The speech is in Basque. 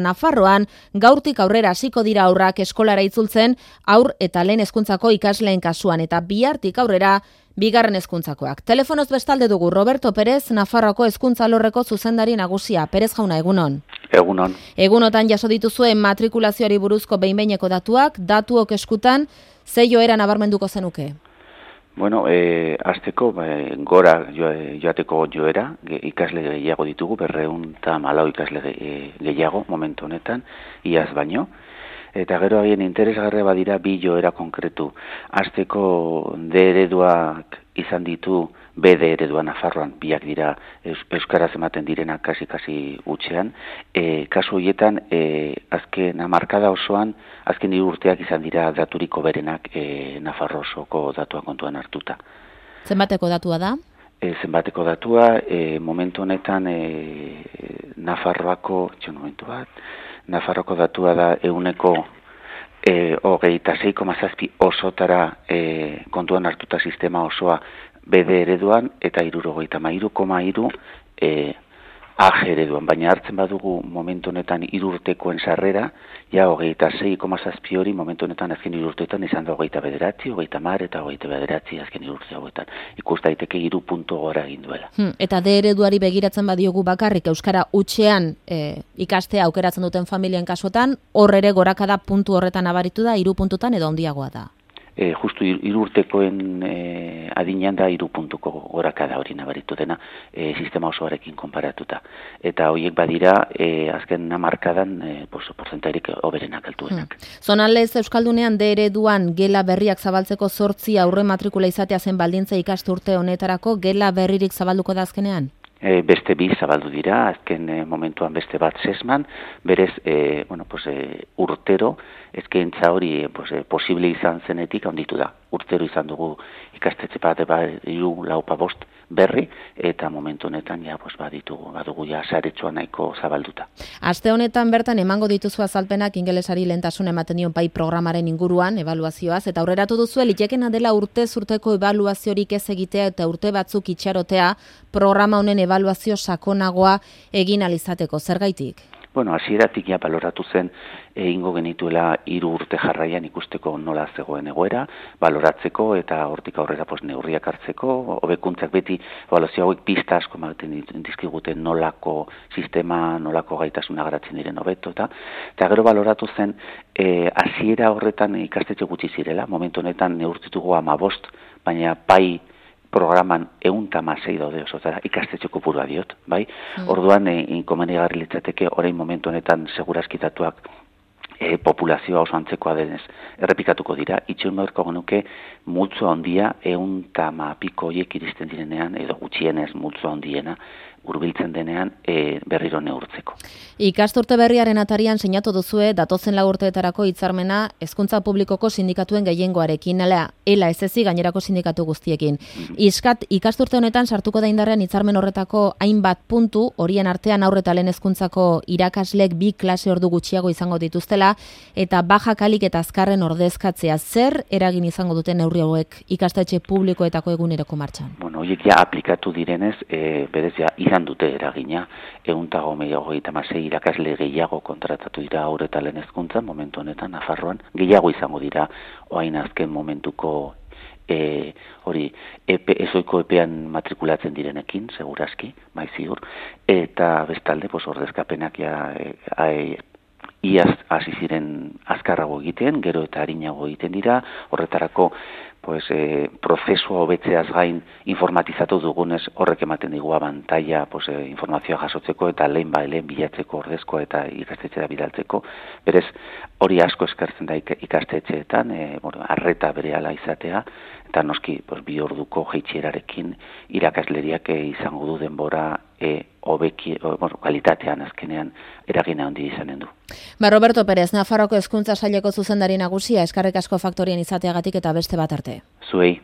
Nafarroan, gaurtik aurrera hasiko dira aurrak eskolara itzultzen, haur eta lehen hezkuntzako ikasleen kasuan, eta bihartik aurrera bigarren hezkuntzakoak. Telefonoz bestalde dugu Roberto Pérez, Nafarroako hezkuntza alorreko zuzendari nagusia. Pérez jauna, egunon. Egunon. Egunotan jaso dituzuen matrikulazioari buruzko behin-behineko datuak, datuok eskutan, ze joera nabarmenduko zenuke? Bueno, hasteko gora joateko joera, ikasle gehiago ditugu, 214 ikasle gehiago momentu honetan, iaz baino. Eta gero haien interesgarria badira bi joera konkretu. Hasteko D ereduak izan ditu, B eredua Nafarroan, biak dira euskaraz ematen direnak kasi utxean. Kasu horietan, azken hamarkada osoan, azken 3 urteak izan dira daturiko berenak Nafarro osoko datua kontuan hartuta. Zenbateko datua da? Zenbateko datua, momentu honetan Nafarroako datua da 26,7 osotara kontuan hartuta sistema osoa BD ereduan eta 73,3 AG ereduan, baina hartzen badugu momentu honetan 3 urtekoen sarrera, ja 26,7 hori momentu honetan azken 3 urteetan izan da 29, 30 eta 29 azken 3 urte hauetan. Ikus daiteke 3 puntu gora egin duela. Eta D ereduari begiratzen badiogu bakarrik euskara hutsean ikastea aukeratzen duten familien kasuetan, hor ere gorakada puntu horretan nabaritu da, 3 puntutan edo handiagoa da. Justu 3 urtekoen adinean da 3 puntuko gorakada hori nabaritu dena sistema osoarekin konparatuta. Eta horiek badira azken hamarkadan portzentairik hoberenak altuenak. Zonalez Euskaldunean D ereduan gela berriak zabaltzeko 8 aurre matrikula izatea zen baldintza ikasturte honetarako, gela berririk zabalduko da azkenean? Beste 2 zabaldu dira, azken momentuan beste bat sesman, berez, urtero, eskaintza hori posible izan zenetik handitu da. Urtero izan dugu ikastetxe bat 3-4 berri, eta momentu honetan badugu saretxoa nahiko zabalduta. Aste honetan bertan emango dituzu azalpenak ingelesari lehentasun ematen dion pai programaren inguruan, ebaluazioaz, eta aurreratu duzu litekena dela urtez urteko ebaluaziorik ez egitea eta urte batzuk itxarotea programa honen ebaluazio sakonagoa egin alizateko. Zergaitik? Bueno, hasieratik ja baloratu zen egingo genituela 3 urte jarraian ikusteko nola zegoen egoera, baloratzeko eta hortik aurrera neurriak hartzeko, hobekuntzak beti ebaluazio hauek pista asko ematen dizkigute nolako sistema, nolako gaitasuna garatzen diren hobeto eta gero baloratu zen hasiera horretan ikastetxe gutxi zirela, momentu honetan neurtitugu 15, baina pai programan 106 daude osotara, ikastetxe kopurua diot, bai? Orduan, inkomenigarri litzateke orain momentu honetan segurazkitatuak populazioa oso antzekoa denez errepikatuko dira, itxeun beharko genuke multzo handia 110 horiek iristen direnean, edo gutxienez multzo handiena, hurbiltzen denean berriro neurtzeko. Ikasturte berriaren atarian sinatu duzue datozen 4 urteetarako hitzarmena hezkuntza publikoko sindikatuen gehiengoarekin, ela ez gainerako sindikatu guztiekin. Ikasturte honetan sartuko da indarrean hitzarmen horretako hainbat puntu, horien artean haur eta lehen hezkuntzako irakaslek 2 klase ordu gutxiago izango dituztela, eta baja kalik eta azkarren ordezkatzea. Zer eragin izango duten neurri hauek ikastetxe publikoetako eguneroko martxan? Bueno, horiek ja aplikatu direnez, berez ja izan dute eragina, 136 irakasle gehiago kontratatu dira haur eta lehen hezkuntzan, momentu honetan Nafarroan, gehiago izango dira orain azken momentuko ezoiko epean matrikulatzen direnekin, segurazki, ziur, eta bestalde, ordezkapenak iaz hasi ziren azkarrago egiten, gero eta arinago egiten dira, horretarako prozesua hobetzeaz gain informatizatu dugunez horrek ematen digu abantaila informazioa jasotzeko eta lehen bilatzeko ordezkoa eta ikastetxera bidaltzeko. Berez, hori asko eskertzen da ikastetxeetan, arreta berehala izatea, eta noski 2 orduko jaitsierarekin irakasleriak izango du denbora kalitatean azkenean eragina handi izanen du. Roberto Pérez, Nafarroako hezkuntza saileko zuzendari nagusia, eskerrik asko Faktorian izateagatik eta beste bat arte. Zuei.